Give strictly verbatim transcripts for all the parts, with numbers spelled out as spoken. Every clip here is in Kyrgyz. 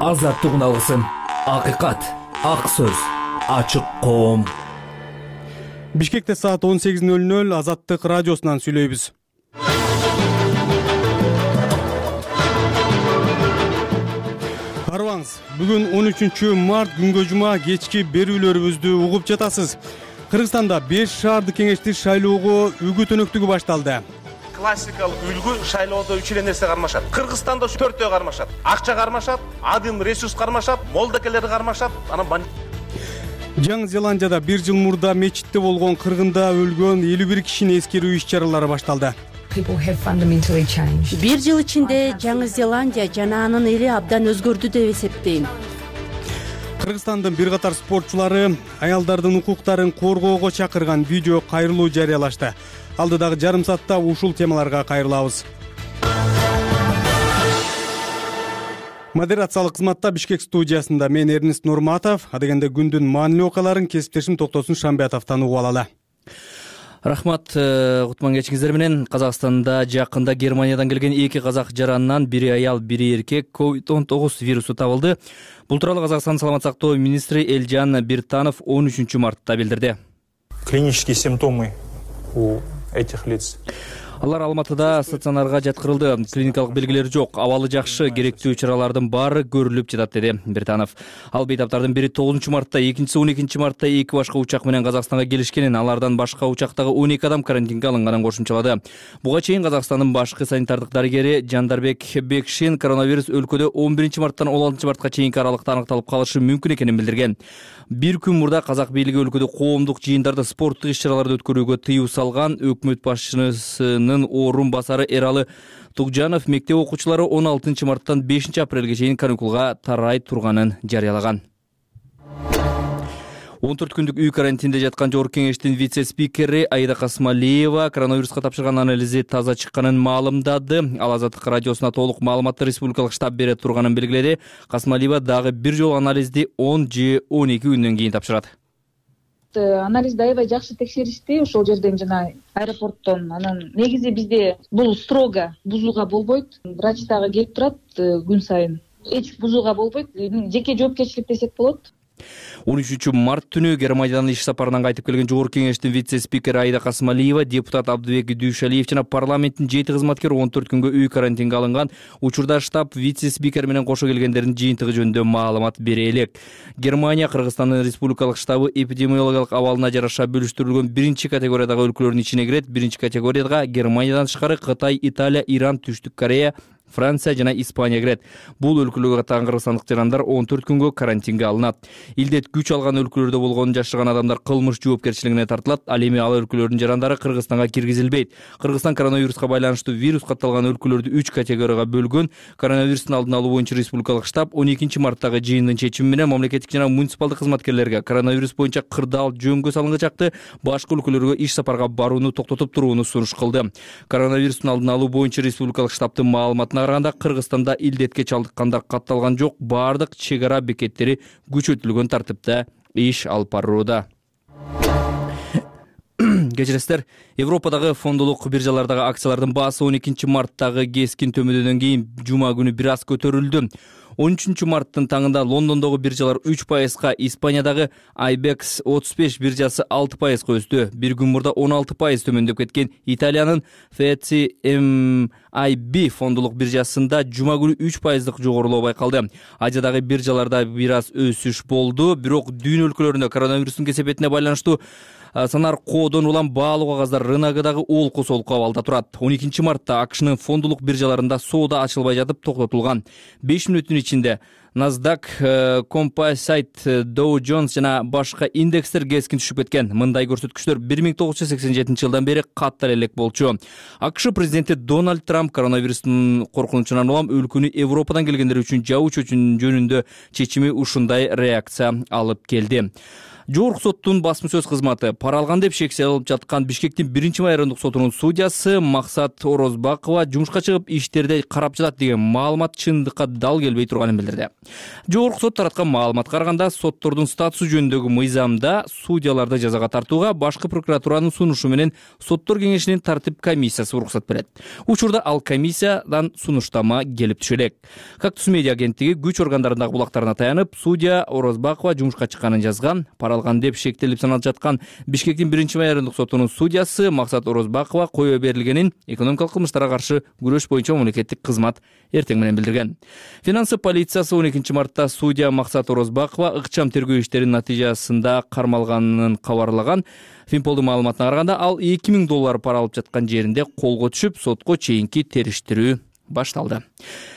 азаттык алгысын, акыйкат, ак сөз, ачык коом. Бишкекте саат он сегиз ноль ноль Азаттык радиосунан сүйлөйбүз. Арыбаңыз, бүгүн он үчүнчү март күнгө жума кечки берүүлөрүбүздү угуп жатасыз. Кыргызстанда беш шаардык кеңешти шайлоого үгүт өнөктүгү башталды. Классикалык үлгү шайлоодо үч эле нерсе кармашат. Кыргызстанда төртөө кармашат. Акча кармашат, адым ресурс кармашат, молдокелер кармашат, анан бан... Жаңы Зеландияда бир жыл мурда мечитте болгон кыргында өлгөн элүү бир кишини эскерүү иш-чаралары башталды. Бир жыл ичинде Жаңы Зеландия жана анын эли абдан өзгөрдү деп эсептейм. Кыргызстандын бир катар спортчулары аялдардын укуктарын коргоого чакырган видео кайрылуу жарыялашты. Алдыдагы жарым саатта ушул темаларга кайрылабыз. Модерациялык кызматта Бишкек студиясында мен Эрнест Нурматов, адегенде күндүн маанилүү окуяларын кесиптешим Токтосун Шамбиятовдон угуп алалы. Рахмат, кутман кечиңиздер менен. Казакстанда жакында Германиядан келген эки казак жаранынан бири аял, бири эркек ковид он тогуз вирусу табылды. Бул тууралуу Казакстан саламат сактоо министри Элжан Биртанов он үчүнчү мартта билдирди. Клинические симптомы у этих лиц. Алар Алматыда стационарга жаткырылды. Клиникалык белгилери жок, абалы жакшы, керектүү чаралардын баары көрүлүп жатат, деди Биртанов. Ал бейтаптардын бири тогузунчу мартта, экинчиси он экинчи мартта эки башка учак менен Казакстанга келишкенин, алардан башка учактагы он эки адам карантинге алынганын кошумчалады. Буга чейин Казакстандын башкы санитардык дарыгери Жандарбек Бекшин коронавирус өлкөдө он биринчи марттан он алтынчы мартка чейинки аралыкта аныкталып калышы мүмкүн экенин билдирген. Бир күн мурда казак бийлиги өлкөдө коомдук жыйындарды, спорттук иш-чараларды өткөрүүгө тыюу салган. Өкмөт башчысынын орун басары Эралы Тугжанов мектеп окуучулары он алтынчы марттан бешинчи апрелге чейин каникулга тарай турганын жарыялаган. он төрт күндүк үй карантинде жаткан Жогорку кеңештин вице-спикери Аида Касмалиева коронавируска тапшырган анализи таза чыкканын маалымдады. Ал Азаттык радиосуна толук маалыматты республикалык штаб бере турганын белгиледи. Касмалиева дагы бир жолу анализди он же он эки күндөн кийин тапшырат. Анализди аябай жакшы текшеришти ошол жерден жана аэропорттон. Анан негизи бизде бул строго бузууга болбойт. Врач дагы келип турат күн сайын. Эч бузууга болбойт. Жеке жоопкерчилик десек болот. он үчүнчү март түнү Германиядан иш сапарынан кайтып келген Жогорку кеңештин вице-спикери Аида Касмалиева, депутат Абдыбек Дүйшалиев жана парламенттин жети кызматкери он төрт күнгө үй карантинге алынган. Учурда штаб вице-спикер менен кошо келгендердин жыйынтыгы жөнүндө маалымат бере элек. Германия Кыргызстандын республикалык штабы эпидемиологиялык абалына жараша бөлүштүрүлгөн биринчи категориядагы өлкөлөрдүн ичине кирет. Биринчи категорияга Германиядан тышкары Кытай, Италия, Иран, Түштүк Корея, Франция жана Испания кирет. Бул өлкөлөргө каттаган кыргызстандык жарандар он төрт күнгө карантинге алынат. Илдет күч алган өлкөлөрдө болгонун жашырган адамдар кылмыш жоопкерчилигине тартылат. Ал эми ал өлкөлөрдүн жарандары Кыргызстанга киргизилбейт. Кыргызстан коронавируска байланыштуу вирус катталган өлкөлөрдү үч категорияга бөлгөн. Коронавирустун алдын алуу боюнча республикалык штаб он экинчи марттагы жыйындын чечими менен мамлекеттик жана муниципалдык кызматкерлерге коронавирус боюнча кырдаал жөнгө салынгычакты башка өлкөлөргө иш сапарга барууну токтотуп турууну сунуш кылды. Коронавирустун алдын алуу боюнча республикалык штабтын маалыматына караганда Кыргызстанда илдетке чалдыккандар катталган жок. Бардык чек ара бекеттери күчөтүлгөн тартипте иш алып барууда. Кечиресиздер, Европадагы фондулук биржалардагы акциялардын баасы он экинчи марттагы кескин төмөндөдөн кийин жума күнү бир аз көтөрүлдү. он үчүнчү марттын таңында Лондондогу биржалар үч пайызга, Испаниядагы Айбекс отуз беш биржасы алты пайызга өстү. Бир күн мурда он алты пайыз төмөндөп кеткен Италиянын эф си эм ай би фондулук биржасында жума күнү үч пайыздык жогорулоо байкалды. Азиядагы биржаларда бир аз өсүш болду, бирок дүйнө өлкөлөрүндө коронавирустун кесепетине байланыштуу санар коодон улам баалуу кагаздар рыногундагы олку солку абалда турат. он экинчи мартта АКШнын фондулук биржаларында соода ачылбай жатып токтотулган. беш мүнөттүн ичинде Nasdaq, Composite, Dow Jones жана башка индекстер кескин түшүп кеткен. Мындай көрсөткүчтөр бир миң тогуз жүз сексен жетинчи жылдан бери каттар элек болчу. АКШ президенти Дональд Трамп коронавирустун коркунучунан улам өлкөнү Европадан келгендер үчүн жабуу жөнүндө чечими ушундай реакция алып келди. Жогорку соттун басма сөз кызматы пара алган деп шексе алып жаткан Бишкектин биринчи майрындык сотунун судьясы Максат Орозбакова жумушка чыгып иштерди карап жатат деген маалымат чындыкка дал келбей турганын билдирди. Жогорку сот тараткан маалыматка караганда соттордун статусу жөнүндөгү мыйзамда судьяларды жазага тартууга башкы прокуратуранын сунушу менен соттор кеңешинин тартип комиссиясы уруксат берет. Учурда ал комиссиядан сунуштама келип түшө элек. Кактус медиа агенттиги күч органдарындагы булактарына таянып, судья Орозбакова жумушка чыкканын жазган. Пара алган деп шектелип саналып жаткан Бишкектин биринчи майрындык сотунун судьясы Максат Орозбакова кое берилгенин экономикалык кылмыштарга каршы күрөш боюнча мамлекеттик кызмат эртең менен билдирген. Финансы полициясы он экинчи мартта судья Максат Орозбакова ыкчам тергөө иштеринин натыйжасында кармалганын кабарлаган. Финполдун маалыматына караганда ал эки миң доллар пара алып жаткан жеринде колго түшүп, сотко чейинки териштирүү башталды.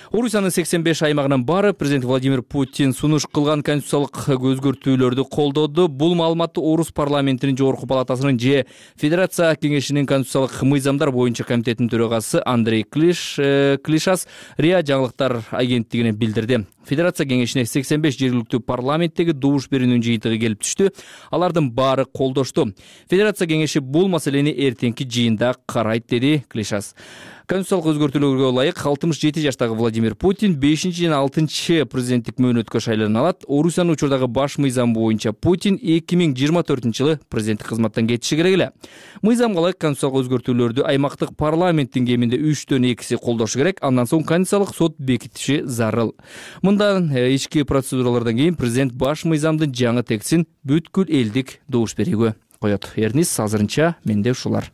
Орусиянын сексен беш аймагынын баары президент Владимир Путин сунуш кылган конституциялык өзгөртүүлөрдү колдоду. Бул маалыматты Орус парламентинин жогорку палатасынын же Федерация кеңешинин конституциялык мыйзамдар боюнча комитетинин төрагасы Андрей Клиш Клишас РИА жаңылыктар агенттигине билдирди. Федерация кеңешине сексен беш жергиликтүү парламенттеги добуш берүүнүн жыйынтыгы келип түштү. Алардын баары колдошту. Федерация кеңеши бул маселени эртеңки жыйында карайт, деди Клишас. Конституциялык өзгөртүүлөргө ылайык алтымыш жети жаштагы Владимир Путин бешинчи жана алтынчы президенттик мөөнөткө шайлана алат. Орусиянын учурдагы баш мыйзам боюнча Путин эки миң жыйырма төртүнчү жылы президенттик кызматтан кетиши керек эле. Мыйзамга ылайык конституциялык өзгөртүүлөрдү аймактык парламенттин кеминде үчтөн экиси колдошу керек. Андан соң конституциялык сот бекитиши зарыл. Мындан ички процедуралардан кийин президент баш мыйзамдын жаңы текстин бүткүл элдик добуш берүүгө коет. Эрнис, азырынча менде ушулар.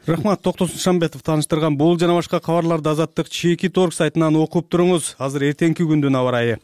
Рахмат, Токтосун Шамбетов тааныштырган бул жана башка кабарларды Азаттык чеки торг сайтынан окуп туруңуз. Азыр эртеңки күндүн аба ырайы.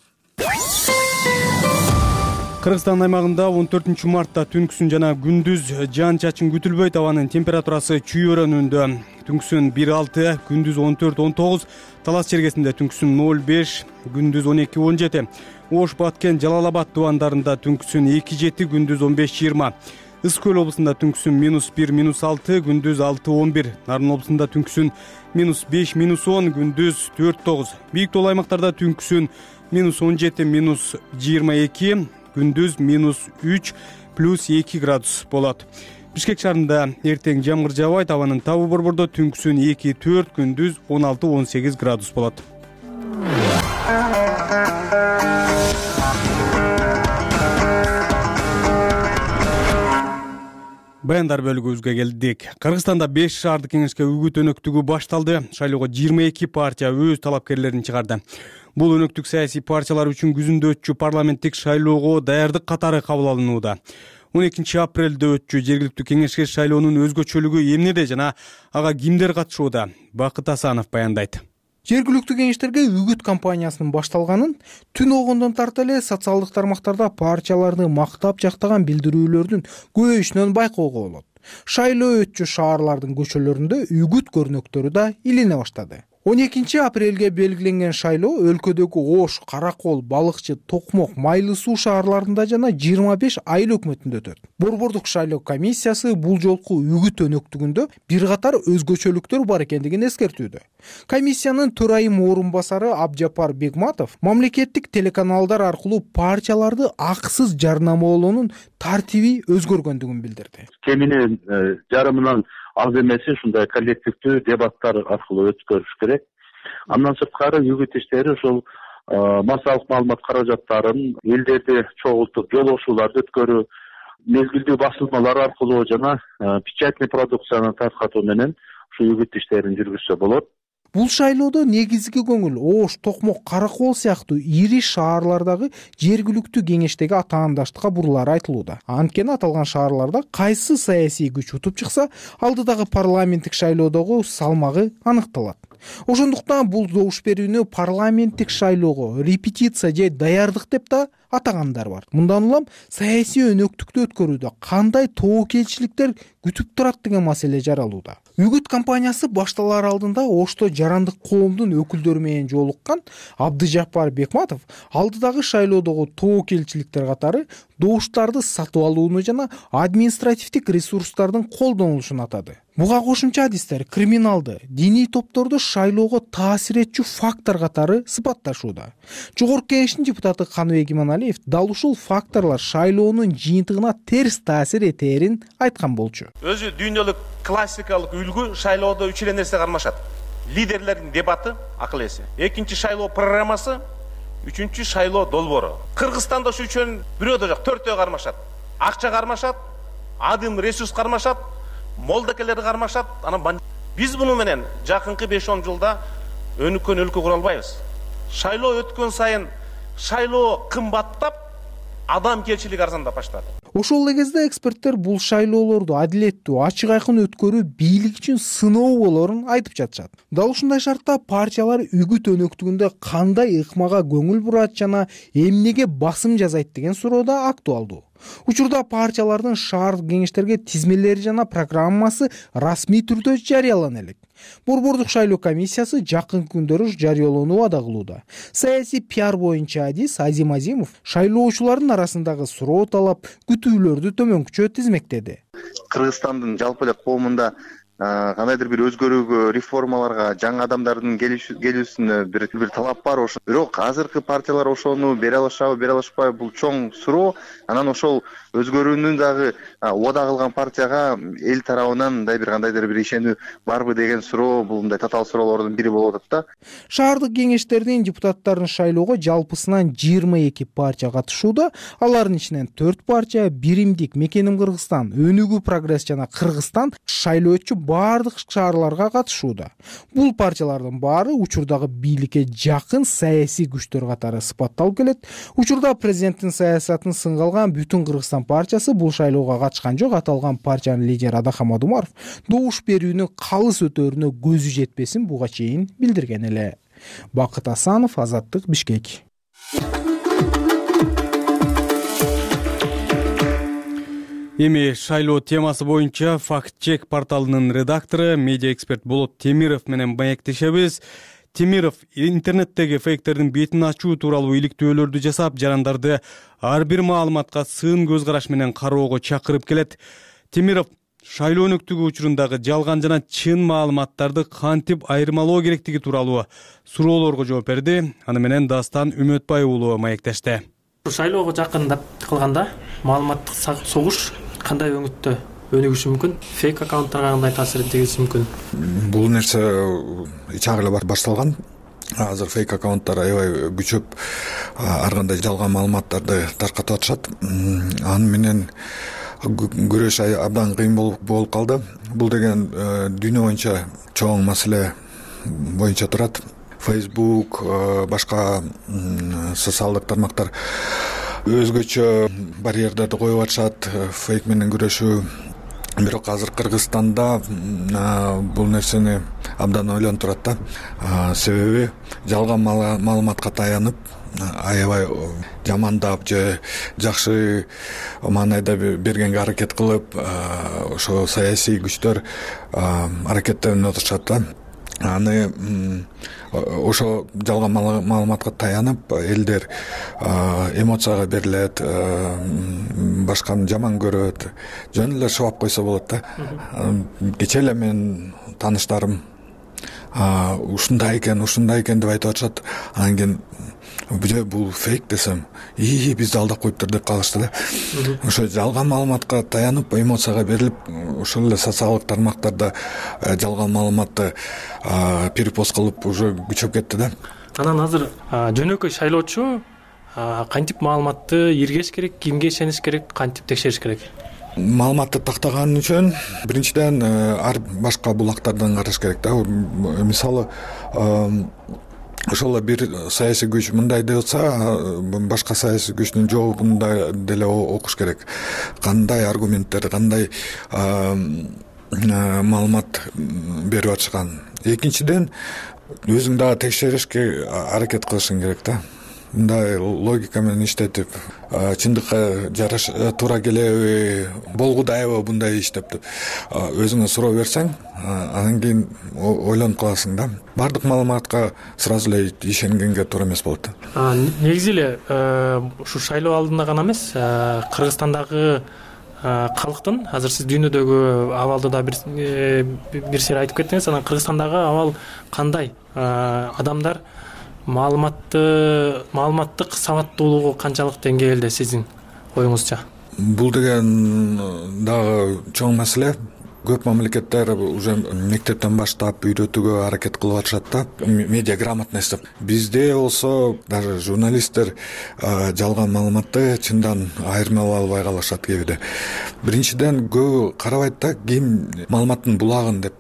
Кыргызстан аймагында он төртүнчү мартта түнкүсүн жана күндүз жаан-чачын күтүлбөйт. Абанын температурасы чүйөрөнүндө. Түнкүсүн бир алты, күндүз он төрт он тогуз, Талас чергесинде түнкүсүн ноль беш, күндүз он эки он жети. Ош, Баткен, Жалал-Абад тубандарында түнкүсүн эки жети, күндүз он беш жыйырма. Ысык көл облусунда түнкүсүн минус бир минус алты, күндүз алты он бир. Нарын облусунда түнкүсүн минус беш минус он, күндүз төрт тогуз. Бийик тоолуу аймактарда түнкүсүн минус он жети минус жыйырма эки, күндүз минус үч плюс эки градус болот. Бишкек шаарында эртең жамгыр жаабайт, абанын табы борбордо түнкүсүн эки төрт, күндүз он алты он сегиз градус болот. Баяндар бөлүгүбүзгө келдик. Кыргызстанда беш шаардык кеңешке үгүт өнөктүгү башталды. Шайлоого жыйырма эки партия өз талапкерлерин чыгарды. Бул өнөктүк саясий партиялар үчүн күзүндө өтчү парламенттик шайлоого даярдык катары кабыл алынууда. он экинчи апрелде өтчү жергиликтүү кеңешке шайлоонун өзгөчөлүгү эмнеде жана ага кимдер катышууда? Бакыт Асанов баяндайт. Жергиликтүү кеңештерге үгүт кампаниясынын башталганын түн огондон тарта эле социалдык тармактарда партияларды мактап жактаган билдирүүлөрдүн көбөйүшүнөн байкоого болот. Шайлоо өтчү шаарлардын көчөлөрүндө үгүт көрнөктөрү да илине баштады. он экинчи апрелге белгиленген шайлоо өлкөдөгү Ош, Каракол, Балыкчы, Токмок, Майлы суу шаарларында жана жыйырма беш айыл өкмөтүндө өтөт. Борбордук шайлоо комиссиясы бул жолку үгүт өнөктүгүндө бир катар өзгөчөлүктөр бар экендигин эскертүүдө. Комиссиянын төрайым орун басары Абжапар Бегматов мамлекеттик телеканалдар аркылуу партияларды акысыз жарнамалоонун тартиби өзгөргөндүгүн билдирди. Кеминен жарымынан аз эмеси ушундай коллективдүү дебаттар аркылуу өткөрүш керек. Андан сырткары үгүт иштери ушул массалык маалымат каражаттарын элдерди чогултуп жолоошууларды өткөрүү, мезгилдүү басылмалар аркылуу жана печатный продукцияны таркатуу менен ушул үгүт иштерин жүргүзсө болот. Бул шайлоодо негизги көңүл Ош, Токмок, Каракол сыяктуу ири шаарлардагы жергиликтүү кеңештеги атаандаштыкка бурулары айтылууда. Анткени аталган шаарларда кайсы саясий күч утуп чыкса, алдыдагы парламенттик шайлоодогу салмагы аныкталат. Ошондуктан бул добуш берүүнү парламенттик шайлоого репетиция же даярдык деп да атагандар бар. Мындан улам саясий өнөктүктү өткөрүүдө кандай тобокелчиликтер күтүп турат деген маселе жаралууда. Үгүт кампаниясы башталар алдында Ошто жарандык коомдун өкүлдөрү менен жолуккан Абдыжапар Бекматов алдыдагы шайлоодогу тобокелчиликтер катары добуштарды сатып алууну жана административдик ресурстардын колдонулушун атады. Буга кошумча адистер криминалды, диний топторду шайлоого таасир этчү фактор катары сыпатташууда. Жогорку кеңештин депутаты Каныбек Иманалиев Эмомалиев дал ушул факторлор шайлоонун жыйынтыгына терс таасир этерин айткан болчу. Өзү дүйнөлүк классикалык үлгү шайлоодо үч эле нерсе кармашат. Лидерлердин дебаты, акыл эси. Экинчи шайлоо программасы, үчүнчү шайлоо долбоору. Кыргызстанда ушу үчөөнүн бирөө да жок, төртөө кармашат. Акча кармашат, адым ресурс кармашат, молдокелер кармашат. Анан биз муну менен жакынкы беш он жылда өнүккөн өлкө кура албайбыз. Шайлоо өткөн сайын шайлоо кымбаттап, адамгерчилик арзандап баштады. Ошол эле кезде эксперттер бул шайлоолорду адилеттүү, ачык айкын өткөрүү бийлик үчүн сыноо болоорун айтып жатышат. Дал ушундай шартта партиялар үгүт өнөктүгүндө кандай ыкмага көңүл бурат жана эмнеге басым жасайт деген суроо да актуалдуу. Учурда партиялардын шаардык кеңештерге тизмелери жана программасы расмий түрдө жарыялана элек. Борбордук шайлоо комиссиясы жакынкы күндөрү жарыялоону убада кылууда. Саясий пиар боюнча адис Азим Азимов шайлоочулардын арасындагы суроо талап, күтүүлөрдү төмөнкүчө тизмектеди. Кыргызстандын жалпы эле коомунда кандайдыр бир өзгөрүүгө, реформаларга, жаңы адамдардын келүүсүнө бир бир талап бар. Бирок азыркы партиялар ошону бере алышабы, бере алышпайбы, бул чоң суроо. Анан ошол өзгөрүүнү дагы убада кылган партияга эл тарабынан мындай бир кандайдыр бир ишенүү барбы деген суроо, бул мындай татаал суроолордун бири болуп атат да. Шаардык кеңештердин депутаттарын шайлоого жалпысынан жыйырма эки партия катышууда. Алардын ичинен төрт партия Биримдик, Мекеним Кыргызстан, Өнүгүү Прогресс жана Кыргызстан шайлоочу бардык шаарларга катышууда. Бул партиялардын баары учурдагы бийликке жакын саясий күчтөр катары сыпатталып келет. Учурда президенттин саясатын сынга алган Бүтүн Кыргызстан партиясы бул шайлоого катышкан жок. Аталган партиянын лидери Адахам Адумаров добуш берүүнүн калыс өтөөрүнө көзү жетпесин буга чейин билдирген эле. Бакыт Асанов, Азаттык, Бишкек. Эми шайлоо темасы боюнча факт-чек порталынын редактору, медиа эксперт Болот Темиров менен маектешебиз. Темиров интернеттеги фейктердин бетин ачуу тууралуу иликтөөлөрдү жасап, жарандарды ар бир маалыматка сын көз караш менен кароого чакырып келет. Темиров шайлоо өнөктүгү учурундагы жалган жана чын маалыматтарды кантип айырмалоо керектиги тууралуу суроолорго жооп берди. Аны менен Дастан Үмөтбай уулу маектешти. Шайлоого жакындап калганда маалыматтык согуш кандай өңүттө өнүгүшү мүмкүн, фейк аккаунттарга кандай таасир тийгизиши мүмкүн? Бул нерсе ичак эле башталган. Азыр фейк аккаунттар аябай күчөп, ар кандай жалган маалыматтарды таркатып атышат. Аны менен күрөш абдан кыйын болуп калды. Бул деген дүйнө боюнча чоң маселе боюнча турат. Facebook, башка социалдык тармактар өзгөчө барьерлерди коюп атышат, фейк менен күрөшүү. Бирок азыр Кыргызстанда бул нерсени абдан ойлонтурат да. Себеби жалган маалыматка таянып, аябай жамандап же жакшы маанайда бергенге аракет кылып, ошо саясий күчтөр аракеттенип отурушат да. Аны ошо жалган маалыматка таянып, элдер эмоцияга берилет, башканы жаман көрөт, жөн эле шубап койсо болот да. Кечээ эле менин тааныштарым ушундай экен, ушундай экен деп айтып атышат. Анан кийин бул фейк десем, ии бизди алдап коюптур деп калышты да. Ошо жалган маалыматка таянып, эмоцияга берилип, ошол эле социалдык тармактарда жалган маалыматты перепост кылып уже күчөп кетти да. Анан азыр жөнөкөй шайлоочу кантип маалыматты иргеш керек, кимге ишениш керек, кантип текшериш керек? Маалыматты тактаган үчүн биринчиден ар башка булактардан караш керек да. Мисалы, ошол бир саясий күч мындай деп атса, башка саясий күчтүн жообунда деле окуш керек. Кандай аргументтер, кандай маалымат берип атышкан. Экинчиден, өзүң дагы текшеришке аракет кылышың керек да. Мындай логика менен иштетип, чындыкка жараша туура келеби, болгудайбы мындай иштеп деп өзүңө суроо берсең, анан кийин ойлонуп каласың да. Бардык маалыматка сразу эле ишенгенге туура эмес болот да. Негизи эле ушу шайлоо алдында гана эмес, Кыргызстандагы калктын, азыр сиз дүйнөдөгү абалды да бир бир сер айтып кеттиңиз, анан Кыргызстандагы абал кандай? Адамдар маалыматты маалыматтык сабаттуулугу канчалык деңгээлде сиздин оюңузча? Бул деген дагы чоң маселе. Көп мамлекеттер уже мектептен баштап үйрөтүүгө аракет кылып атышат да, медиа грамотность деп. Бизде болсо даже журналисттер жалган маалыматты чындан айырмалай албай калышат кээде. Биринчиден көбү карабайт да, ким маалыматтын булагын деп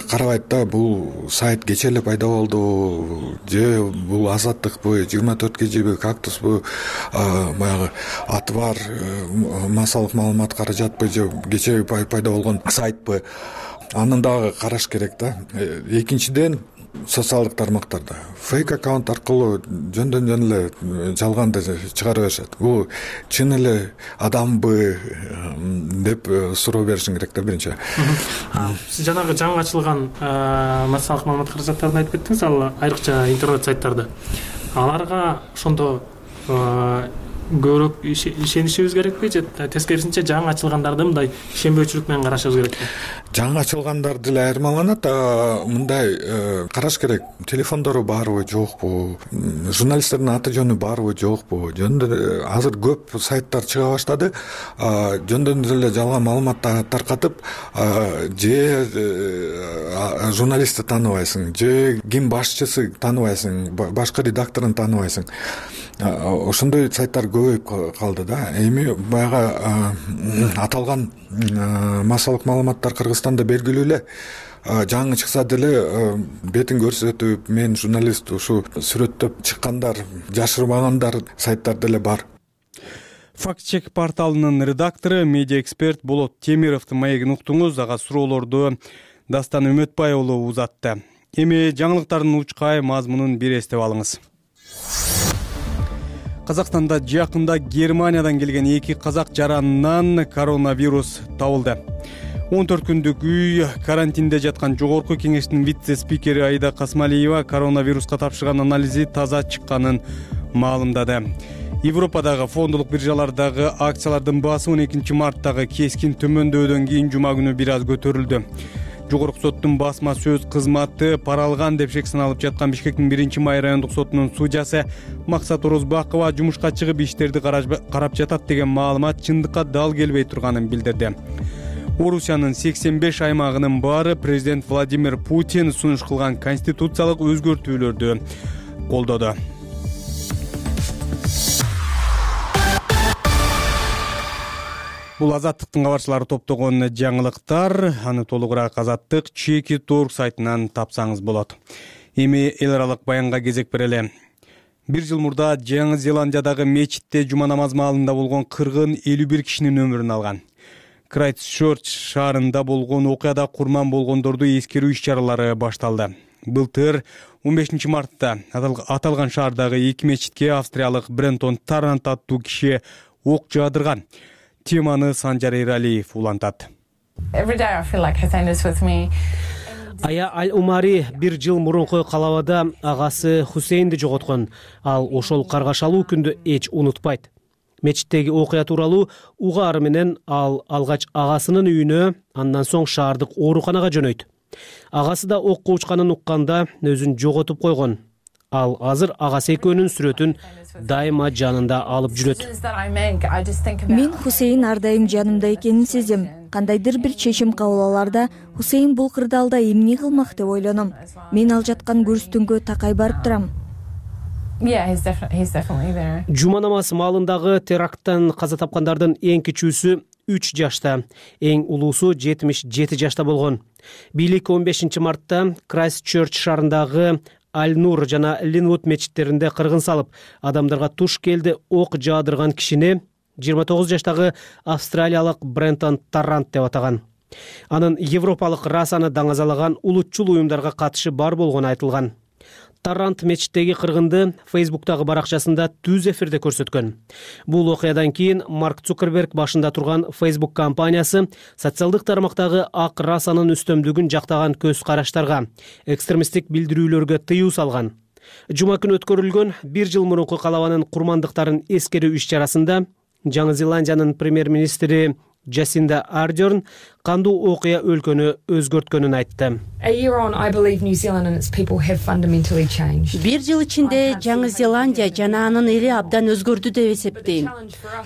карабайт да, бул сайт кечээ эле пайда болду же бул Азаттыкпы, жыйырма төрт кежиби, Кактуспу, баягы аты бар массалык маалымат каражатпы же кечээ пайда болгон сайтпы, аны дагы караш керек да. Экинчиден, социалдык тармактарда фейк аккаунт аркылуу жөндөн жөн эле жалганды чыгара беришет. Бул чын эле адамбы деп суроо беришиң керек да биринчи. Сиз жанагы жаңы ачылган массалык маалымат каражаттарын айтып кеттиңиз, ал айрыкча интернет сайттарды. Аларга ошондо көбүрөөк ишенишибиз керекпи же тескерисинче жаңы ачылгандарды мындай ишенбөөчүлүк менен карашыбыз керекпи? Жаңы ачылгандар деле айырмаланат. Мындай караш керек. Телефондору барбы, жокпу? Журналисттердин аты жөнү барбы, жокпу? Жөндөн азыр көп сайттар чыга баштады. Жөндөн эле жалган маалымат таркатып, же журналистти тааныбайсың, же ким башчысы тааныбайсың, башкы редакторун тааныбайсың. Ошондой сайттар көбөйүп калды да. Эми баягы аталган массалык маалыматтар Кыргызстанда белгилүү эле. Жаңы чыкса деле бетин көрсөтүп, мен журналист, ушу сүрөттөп чыккандар, жашырбагандар сайттар деле бар. Факт-чек порталынын редактору, медиа эксперт Болот Темировдун маегин уктуңуз. Ага суроолорду Дастан Үмөтбай уулу узатты. Эми жаңылыктардын учкай мазмунун бир эстеп алыңыз. Казакстанда жакында Германиядан келген эки казак жаранынан коронавирус табылды. он төрт күндүк үй карантинде жаткан жогорку кеңештин вице-спикери Аида Касмалиева коронавируска тапшырган анализи таза чыкканын маалымдады. Европадагы фондолук биржалардагы акциялардын баасы он экинчи марттагы кескин төмөндөдөн кийин жума күнү бир аз көтөрүлдү. Жогорку соттун басма сөз кызматы пара алган деп шек саналып жаткан Бишкектин биринчи май райондук сотунун судьясы Максат Орозбакова жумушка чыгып иштерди карап жатат деген маалымат чындыкка дал келбей турганын билдирди. Орусиянын сексен беш аймагынын баары президент Владимир Путин сунуш кылган конституциялык өзгөртүүлөрдү колдоду. Бул Азаттыктын кабарчылары топтогон жаңылыктар. Аны толугураак Азаттык чеки точка орг сайтынан тапсаңыз болот. Эми эл аралык баянга кезек берели. Бир жыл мурда Жаңы Зеландиядагы мечитте жума намаз маалында болгон кыргын элүү бир кишинин өмүрүн алган. Крайстчерч шаарында болгон окуяда курман болгондорду эскерүү иш-чаралары башталды. Былтыр он бешинчи мартта аталган шаардагы эки мечитке австриялык Брентон Таррант аттуу киши ок жаадырган. Теманы Санжар Эралиев улантат. Ая Аль-Умари бир жыл мурунку калабада агасы Хусейнди жоготкон. Ал ошол каргашалуу күндү эч унутпайт. Мечиттеги окуя тууралуу угаары менен ал алгач агасынын үйүнө, андан соң шаардык ооруканага жөнөйт. Агасы да окко учканын укканда өзүн жоготуп койгон. Ал азыр агасы экөөнүн сүрөтүн дайыма жанында алып жүрөт. Мен Хусейн ар дайым жанымда экенин сезем. Кандайдыр бир чечим кабыл аларда Хусейн бул кырдаалда эмне кылмак деп ойлоном. Мен ал жаткан күрүстүнгө такай барып турам. Жума намаз маалындагы теракттан каза тапкандардын эң кичүүсү үч жашта, эң улуусу жетимиш жети жашта болгон. Бийлик он бешинчи мартта Крайстчерч шаарындагы Аль-Нур жана Линвуд мечиттеринде кыргын салып, адамдарга туш келди ок жаадырган кишини жыйырма тогуз жаштагы австралиялык Брентон Таррант деп атаган. Анын европалык расаны даңазалаган улутчул уюмдарга катышы бар болгону айтылган. Таррант мечиттеги кыргынды Фейсбуктагы баракчасында түз эфирде көрсөткөн. Бул окуядан кийин Марк Цукерберг башында турган Facebook компаниясы социалдык тармактагы ак расанын үстөмдүгүн жактаган көз караштарга, экстремисттик билдирүүлөргө тыюу салган. Жума күнү өткөрүлгөн бир жыл мурунку калабанын курмандыктарын эскерүү иш-чарасында Жаңы Зеландиянын премьер-министри Джасинда Ардерн кандуу окуя өлкөнү өзгөрткөнүн айтты. Бир жыл ичинде Жаңы Зеландия жана анын эли абдан өзгөрдү деп эсептейм.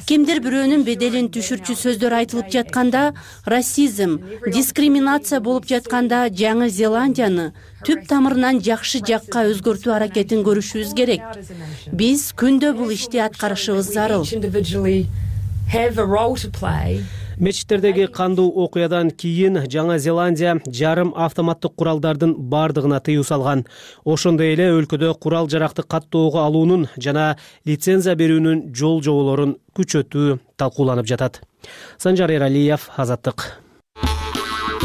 Кимдир бирөөнүн беделин түшүрчү сөздөр айтылып жатканда, расизм, дискриминация болуп жатканда Жаңы Зеландияны түп тамырынан жакшы жакка өзгөртүү аракетин көрүшүбүз керек. Биз күндө бул ишти аткарышыбыз зарыл. Мечиттердеги кандуу окуядан кийин Жаңа Зеландия жарым автоматтык куралдардын бардыгына тыюу салган. Ошондой эле өлкөдө курал жаракты каттоого алуунун жана лицензия берүүнүн жол жоболорун күчөтүү талкууланып жатат. Санжар Эралиев, Азаттык.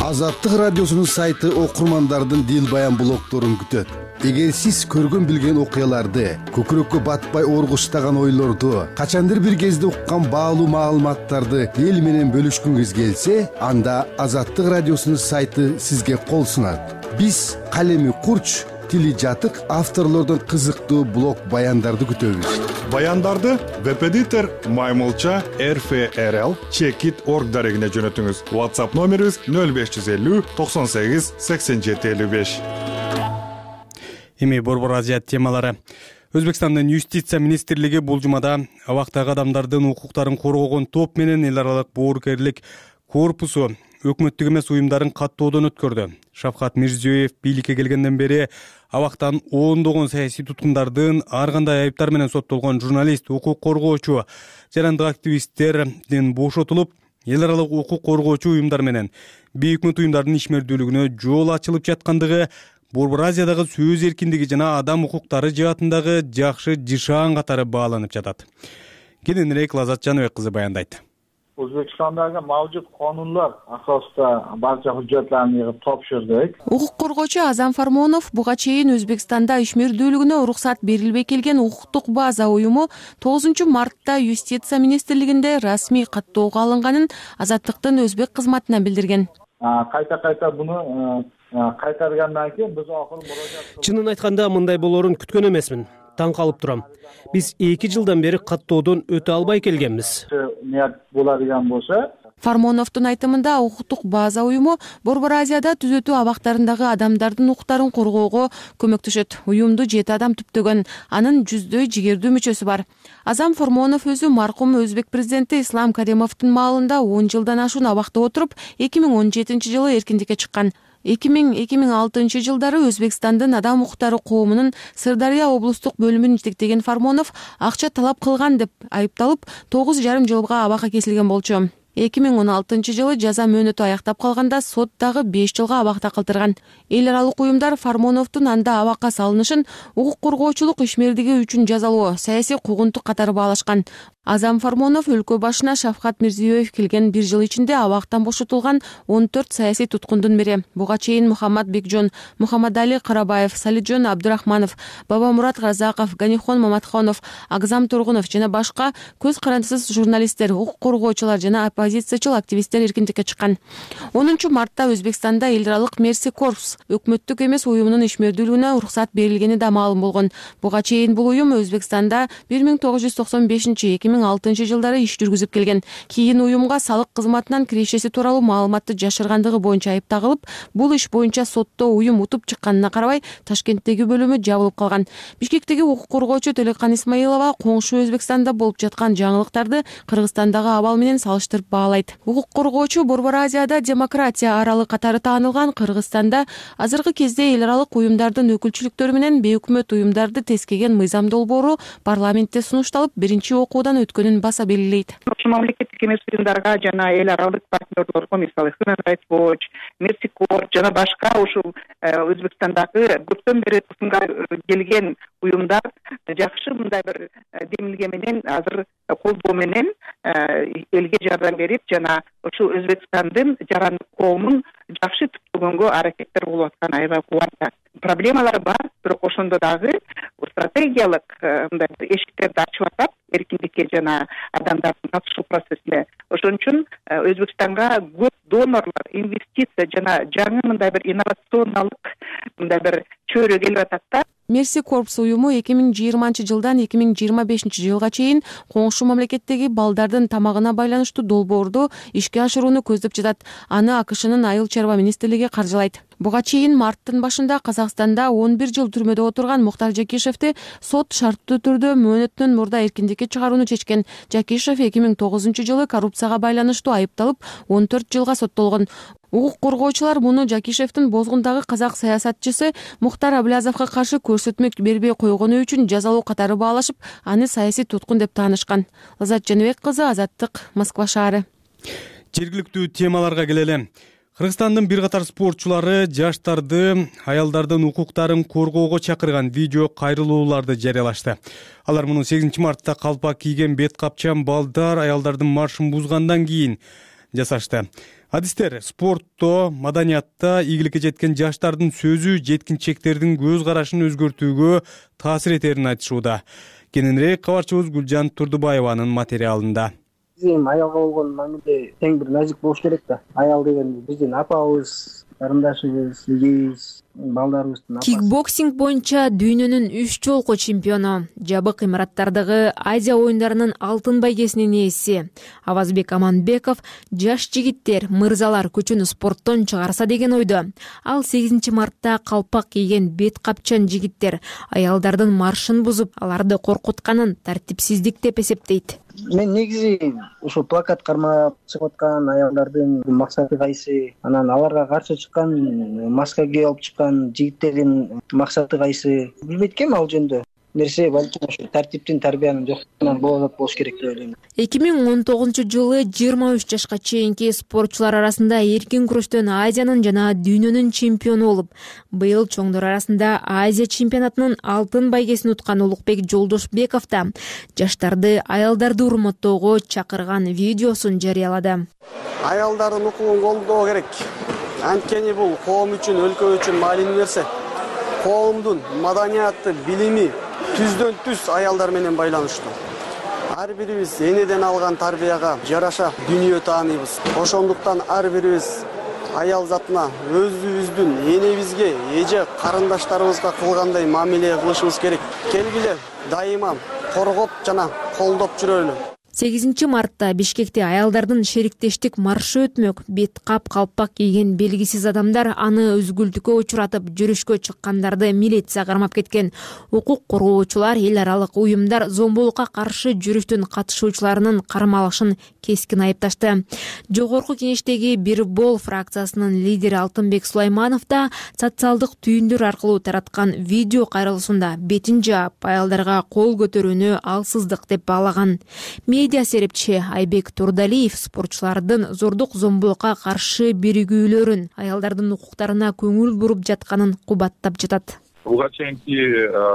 Азаттык радиосунун сайты окурмандардын дил баян блогторун күтөт. Эгер сиз көргөн билген окуяларды, көкүрөккө батпай оргуштаган ойлорду, качандыр бир кезде уккан баалуу маалыматтарды эл менен бөлүшкүңүз келсе, анда Азаттык радиосунун сайты сизге кол сунат. Биз калеми курч, тили жатык авторлордун кызыктуу блог баяндарды күтөбүз. Баяндарды веб-эдитор Маймылча эр эф эр эл чекит точка орг дарегине жөнөтүңүз. WhatsApp номерибиз нөл беш жүз элүү токсон сегиз сексен жети элүү беш. Эми Борбор Азия темалары. Өзбекстандын юстиция министрлиги бул жумада абактагы адамдардын укуктарын коргогон топ менен эл аралык боорукерлик корпусу өкмөттүк эмес уюмдарын каттоодон өткөрдү. Шавкат Мирзиёев бийликке келгенден бери абактан ондогон саясий туткундардын ар кандай айыптар менен соттолгон журналист, укук коргоочу, жарандык активисттердин бошотулуп, эл аралык укук коргоочу уюмдар менен бейөкмөт уюмдардын ишмердүүлүгүнө жол ачылып жаткандыгы Борбор Азиядагы сөз эркиндиги жана адам укуктары жаатындагы жакшы жышаан катары бааланып жатат. Кененирээк Лазат Жаныбек кызы баяндайт. O'zbekistondagi mavjud qonunlar asosida barcha hujjatlarni yig'ib topshirdik. Укук коргоочу Азам Фармонов буга чейин Өзбекстанда ишмердүүлүгүнө уруксат берилбей келген укуктук база уюму тогузунчу мартта юстиция министрлигинде расмий каттоого алынганын Азаттыктын өзбек кызматына билдирген. Кайта кайта буну кайтаргандан кийин биз акыры мурожаат. Чынын айтканда мындай болоорун күткөн эмесмин. Таң калып турам. Биз эки жылдан бери каттоодон өтө албай келгенбиз. Ният болadigan болсо, Фармоновдун айтымында укуктук база уюму Борбор Азияда түзөтүү абактарындагы адамдардын укуктарын коргоого көмөктөшөт. Уюмду жети адам түптөгөн, анын жүздөй жигердүү мүчөсү бар. Азам Фармонов өзү маркум өзбек президенти Ислам Каримовдун маалында он жылдан ашуун абакта отуруп, эки миң он жетинчи жылы эркиндикке чыккан. эки миң эки миң алтынчы жылдары Өзбекстандын адам укуктары коомунун Сырдария облустук бөлүмүн жетектеген Фармонов акча талап кылган деп айыпталып, тогуз жарым жылга абакка кесилген болчу. эки миң он алтынчы жылы жаза мөөнөтү аяктап калганда сот дагы беш жылга абакта калтырган. Эл аралык уюмдар Фармоновдун анда абакка салынышын укук коргоочулук ишмердиги үчүн жазалоо, саясий куугунтук катары баалашкан. Азам Фармонов өлкө башына Шавкат Мирзиёев келген бир жыл ичинде абактан бошотулган он төрт саясий туткундун бири. Буга чейин Мухаммад Бекжон, Мухаммадали Карабаев, Салиджон Абдурахманов, Бабамурат Разаков, Ганихон Маматхонов, Агзам Тургунов жана башка көз карандысыз журналисттер, укук коргоочулар жана оппозициячыл активисттер эркиндикке чыккан. онунчу мартта Өзбекстанда эл аралык Мерси Корпс өкмөттүк эмес уюмунун ишмердүүлүгүнө уруксат берилгени да маалым болгон. Буга чейин бул уюм Өзбекстанда бир миң тогуз жүз токсон бешинчи эки миң алтынчы жылдары иш жүргүзүп келген. Кийин уюмга салык кызматынан кирешеси тууралуу маалыматты жашыргандыгы боюнча айып тагылып, бул иш боюнча сотто уюм утуп чыкканына карабай Ташкенттеги бөлүмү жабылып калган. Бишкектеги укук коргоочу Телекан Исмаилова коңшу Өзбекстанда болуп жаткан жаңылыктарды Кыргызстандагы абал менен салыштырып баалайт. Укук коргоочу Борбор Азияда демократия аралы катары таанылган Кыргызстанда азыркы кезде эл аралык уюмдардын өкүлчүлүктөрү менен бейөкмөт уюмдарды тескеген мыйзам долбоору парламентте сунушталып, биринчи окуудан өткөнүн баса белгилейт. Ошол мамлекеттик эмес уюмдарга жана эл аралык партнерлорго, мисалы Human Rights Watch, Mercy Corps жана башка ушул Өзбекстандагы көптөн бери тусумга келген уюмдар жакшы мындай бир демилге менен азыр колдоо менен элге жардам берип жана ушул Өзбекстандын жарандык коомун жакшы түптөгөнгө аракеттер болуп аткан аябай кубанычта. Проблемалар бар, бирок ошондо дагы стратегиялык мындай эшиктерди ачып атат эркиндикке жана адамдардын катышуу процессине. Ошон үчүн Өзбекстанга көп донорлор, инвестиция жана жаңы мындай бир инновационалык мындай бир чөйрө келип атат да. Мерси Корпс уюму эки миң жыйырманчы жылдан эки миң жыйырма бешинчи жылга чейин коңшу мамлекеттеги балдардын тамагына байланыштуу долбоорду ишке ашырууну көздөп жатат. Аны АКШнын Айыл чарба министрлиги каржылайт. Буга чейин марттын башында Казакстанда он бир жыл түрмөдө отурган Мухтар Жакишевди сот шарттуу түрдө мөөнөттөн мурда эркиндикке чыгарууну чечкен. Жакишев эки миң тогузунчу жылы коррупцияга байланыштуу айыпталып он төрт жылга соттолгон. Укук коргоочулар муну Жакишевдин бозгундагы казак саясатчысы Мухтар Аблязовго каршы көрсөтмө бербей койгону үчүн жазалоо катары баалашып, аны саясий туткун деп таанышкан. Лазат Жаныбек кызы, Азаттык, Москва шаары. Жергиликтүү темаларга келели. Кыргызстандын бир катар спортчулары жаштарды, аялдардын укуктарын коргоого чакырган видео кайрылууларды жарыялашты. Алар муну сегизинчи мартта калпак кийген бет капчан балдар аялдардын маршын бузгандан кийин жасашты. Адистер спортто, маданиятта ийгиликке жеткен жаштардын сөзү жеткинчектердин көз карашын өзгөртүүгө таасир этерин айтышууда. Кененирээк кабарчыбыз Гүлжан Турдубаеванын материалында. Биздин аялга болгон мамиле тең бир назик болуш керек да. Аял деген биздин апабыз, карындашыбыз, эгейибиз, балдарыбыздын апасы. Кикбоксинг боюнча дүйнөнүн үч жолку чемпиону, жабык имараттардагы Азия оюндарынын алтын байгесинин ээси Авазбек Аманбеков жаш жигиттер, мырзалар көчөнү спорттон чыгарса деген ойдо. Ал сегизинчи мартта калпак кийген бет капчан жигиттер аялдардын маршын бузуп, аларды коркутканын тартипсиздик деп эсептейт. Мен негизи ошо плакат кармап чыгып аткан аялдардын максаты кайсы, анан аларга каршы чыккан, маска кийип алып чыккан жигиттердин максаты кайсы билбейт экенмин ал жөнүндө. Нерсе балким ошо тартиптин, тарбиянын жоксугунан болот болуш керек деп ойлойм. эки миң он тогузунчу жылы жыйырма үч жашка чейинки спортчулар арасында эркин күрөштөн Азиянын жана дүйнөнүн чемпиону болуп, быйыл чоңдор арасында Азия чемпионатынын алтын байгесин уткан Улукбек Жолдошбеков да жаштарды, аялдарды урматтоого чакырган видеосун жарыялады. Аялдардын укугун колдоо керек. Анткени бул коом үчүн, өлкө үчүн маанилүү нерсе. Коомдун маданияты, билими түздөн түз аялдар менен байланыштуу. Ар бирибиз энеден алган тарбияга жараша дүнүйө тааныйбыз. Ошондуктан ар бирибиз аял затына өзүбүздүн энебизге, эже карындаштарыбызга кылгандай мамиле кылышыбыз керек. Келгиле дайыма коргоп жана колдоп жүрөлү. сегизинчи мартта Бишкекте аялдардын шериктештик маршы өтмөк. Бет кап, калпак кийген белгисиз адамдар аны өзгүлтүккө учуратып, жүрүшкө чыккандарды милиция кармап кеткен. Укук коргоочулар, эл аралык уюмдар зомбулукка каршы жүрүштүн катышуучуларынын кармалышын кескин айыпташты. Жогорку кеңештеги Бир Бол фракциясынын лидери Алтынбек Сулайманов да социалдык түйүндөр аркылуу тараткан видео кайрылуусунда бетин жаап, аялдарга кол көтөрүүнү алсыздык деп баалаган. Медиа серепчи Айбек Турдалиев спортчулардын зордук зомбулукка каршы биригүүлөрүн, аялдардын укуктарына көңүл буруп жатканын кубаттап жатат. Буга чейинки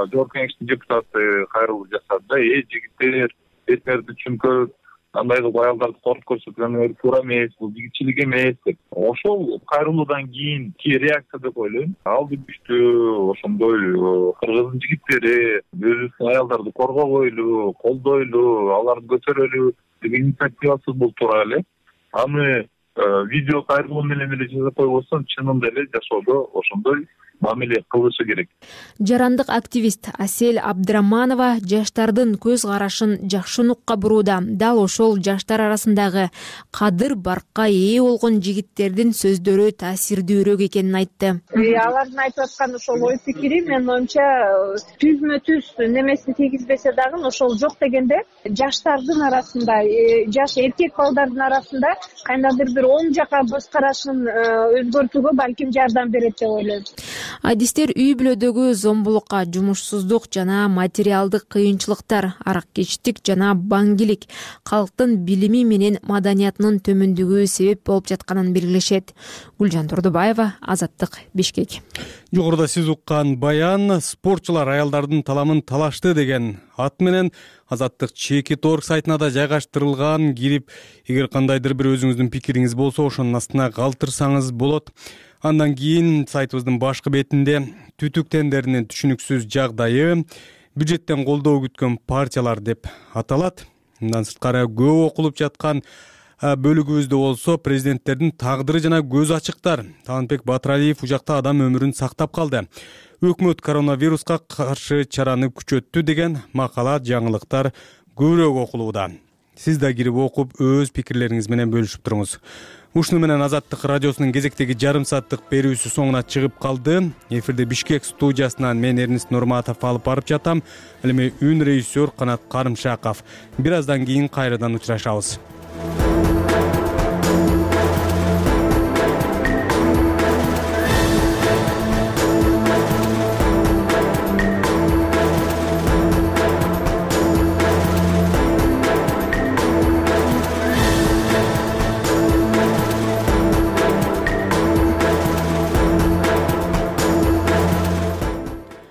жогорку кеңештин депутаты кайрылуу жасады да, э жигиттер, эттерди чүнкө андай кылып аялдарды коркуп көрсөткөн туура эмес, бул жигитчилик эмес деп. Ошол кайрылуудан кийинки реакция деп ойлойм. Алды күчтүү ошондой кыргыздын жигиттери өзүбүздүн аялдарды коргобойлу, колдойлу, аларды көтөрөлү деген инициативасы бул туура эле. Аны видео кайрылуу менен эле жасап койбостон чынында эле жашоодо ошондой мамиле кылышы керек. Жарандык активист Асель Абдыраманова жаштардын көз карашын жакшы нукка бурууда. Дал ошол жаштар арасындагы кадыр баркка ээ болгон жигиттердин сөздөрү таасирдүүрөөк экенин айтты. Алардын айтып аткан ошол ой пикири менин оюмча түзмө түз немесин тийгизбесе дагы ошол жок дегенде жаштардын арасында, жаш эркек балдардын арасында кандайдыр бир оң жака көз карашын өзгөртүүгө балким жардам берет деп ойлойм. Адистер үй бүлөдөгү зомбулукка, жумушсуздук жана материалдык кыйынчылыктар, араккечтик жана баңгилик калктын билими менен маданиятынын төмөндүгү себеп болуп жатканын белгилешет. Гүлжан Турдубаева, Азаттык, Бишкек. Жогоруда сиз уккан баян спортчулар аялдардын таламын талашты деген ат менен Азаттык чекит точка орг сайтына да жайгаштырылган. Кирип, эгер кандайдыр бир өзүңүздүн пикириңиз болсо, ошонун астына калтырсаңыз болот. Андан кийин сайтыбыздын башкы бетинде түтүк тендеринин түшүнүксүз жагдайы, бюджеттен колдоо күткөн партиялар деп аталат. Мындан сырткары көп окулуп жаткан бөлүгүбүздө болсо президенттердин тагдыры жана көз ачыктар. Талантбек Батыралиев ужакта адам өмүрүн сактап калды. Өкмөт коронавируска каршы чараны күчөттү деген макала, жаңылыктар көбүрөөк окулууда. Сиз да кирип окуп, өз пикирлериңиз менен бөлүшүп туруңуз. Ушуну менен Азаттык радиосунун кезектеги жарым сааттык берүүсү соңуна чыгып калды. Эфирде Бишкек студиясынан мен Эрнест Нурматов алып барып жатам. Ал эми үн режиссер Канат Карымшаков. Бир аздан кийин кайрадан учурашабыз.